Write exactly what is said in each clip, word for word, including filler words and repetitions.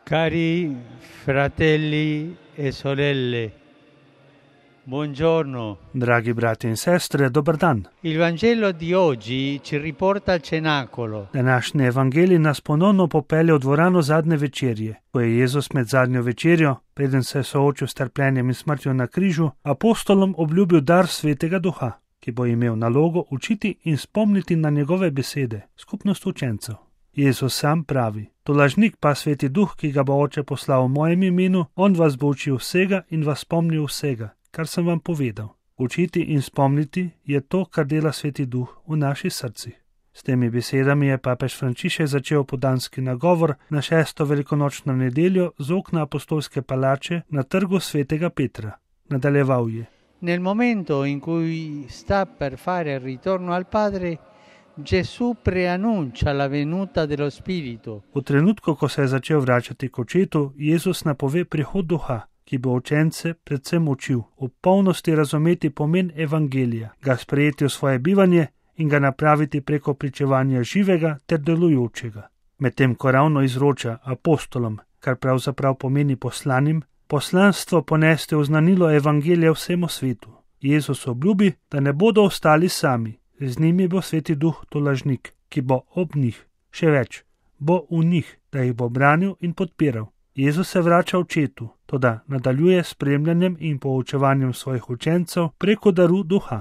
Cari fratelli e sorelle, buongiorno. Dragi brati in sestre, dobar dan. Il Vangelo di oggi ci riporta al cenacolo. Današnji evangelij nas ponovno popelje v dvorano zadnje večerje, ko je Jezus med zadnjo večerjo, preden se je soočil s trpljenjem in smrtjo na križu, apostolom obljubil dar Svetega Duha, ki bo imel nalogo učiti in spomniti na njegove besede, skupnost učencev. Jezus sam pravi: tolažnik pa Sveti Duh, ki ga bo Oče poslal v mojem imenu, on vas bo učil vsega in vas spomnil vsega, kar sem vam povedal. Učiti in spomniti je to, kar dela Sveti Duh v naših srcih. S temi besedami je papež Frančišek začel podanski nagovor na šesto velikonočno nedeljo z okna apostolske palače na trgu Svetega Petra. Nadaljeval je: Nel momento in cui sta per fare il ritorno al Padre, Gesù preannuncia la venuta dello Spirito. V trenutku, ko se je začel vračati k Očetu, Jezus napove prihod Duha, ki bo učence predvsem učil v polnosti razumeti pomen evangelija, ga sprejeti v svoje bivanje in ga napraviti preko pričevanja živega ter delujočega. Medtem ko ravno izroča apostolom, kar pravzaprav pomeni poslanim, poslanstvo poneste v znanilo evangelija vsemu svetu. Jezus obljubi, da ne bodo ostali sami. Z njimi bo Sveti Duh tolažnik, ki bo ob njih, še več, bo v njih, da jih bo branil in podpiral. Jezus se vrača Očetu, toda nadaljuje s spremljanjem in poučevanjem svojih učencev preko daru Duha.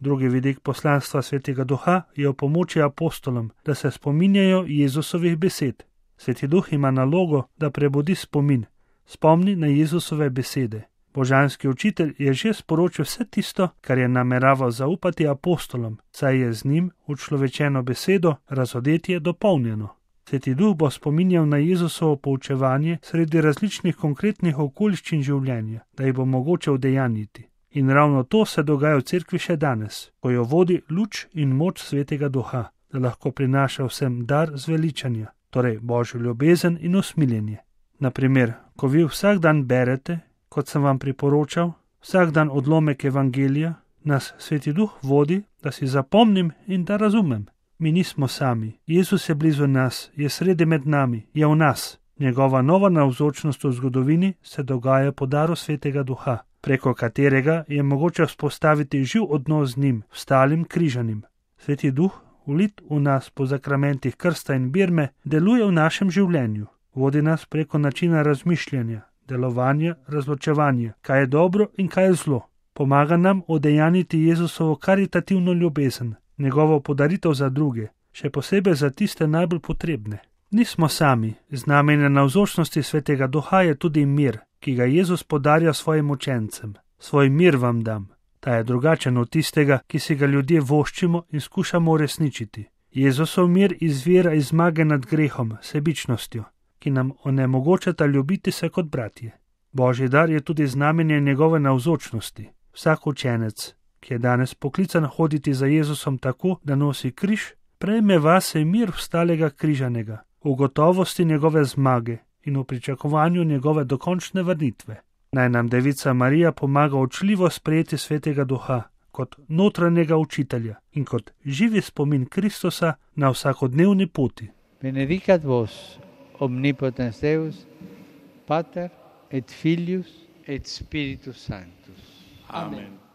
Drugi vidik poslanstva Svetega Duha je v pomoči apostolom, da se spominjajo Jezusovih besed. Sveti Duh ima nalogo, da prebudi spomin, spomni na Jezusove besede. Božanski učitelj je že sporočil vse tisto, kar je nameraval zaupati apostolom, saj je z njim učlovečeno besedo razodetje dopolnjeno. Sveti Duh bo spominjal na Jezusovo poučevanje sredi različnih konkretnih okoliščin življenja, da jih bo mogoče udejanjiti. In ravno to se dogaja v cerkvi še danes, ko jo vodi luč in moč Svetega Duha, da lahko prinaša vsem dar zveličanja, torej Božjo ljubezen in usmiljenje. Naprimer, ko vi vsak dan berete, kot sem vam priporočal, vsak dan odlomek evangelija, nas Sveti Duh vodi, da si zapomnim in da razumem. Mi nismo sami. Jezus je blizu nas, je sredi med nami, je v nas. Njegova nova navzočnost v zgodovini se dogaja po daru Svetega Duha, preko katerega je mogoče vzpostaviti živ odnos z njim, vstalim križanim. Sveti Duh, vlit v nas po zakramentih krsta in birme, deluje v našem življenju. Vodi nas preko načina razmišljanja, delovanja, razločevanja, kaj je dobro in kaj je zlo. Pomaga nam udejaniti Jezusovo karitativno ljubezen, njegovo podaritev za druge, še posebej za tiste najbolj potrebne. Nismo sami, z namenom navzočnosti Svetega Duha je tudi mir, ki ga Jezus podarja svojim učencem. Svoj mir vam dam. Ta je drugačen od tistega, ki si ga ljudje voščimo in skušamo uresničiti. Jezusov mir izvira iz zmage nad grehom, sebičnostjo, ki nam onemogočata ljubiti se kot bratje. Božji dar je tudi znamenje njegove navzočnosti. Vsak učenec, ki je danes poklican hoditi za Jezusom tako, da nosi križ, prejme vase mir vstalega križanega, v gotovosti njegove zmage in v pričakovanju njegove dokončne vrnitve. Naj nam Devica Marija pomaga učljivo sprejeti Svetega Duha kot notranjega učitelja in kot živi spomin Kristusa na vsakodnevni poti. Benedicat vos omnipotens Deus, Pater et Filius et Spiritus Sanctus. Amen.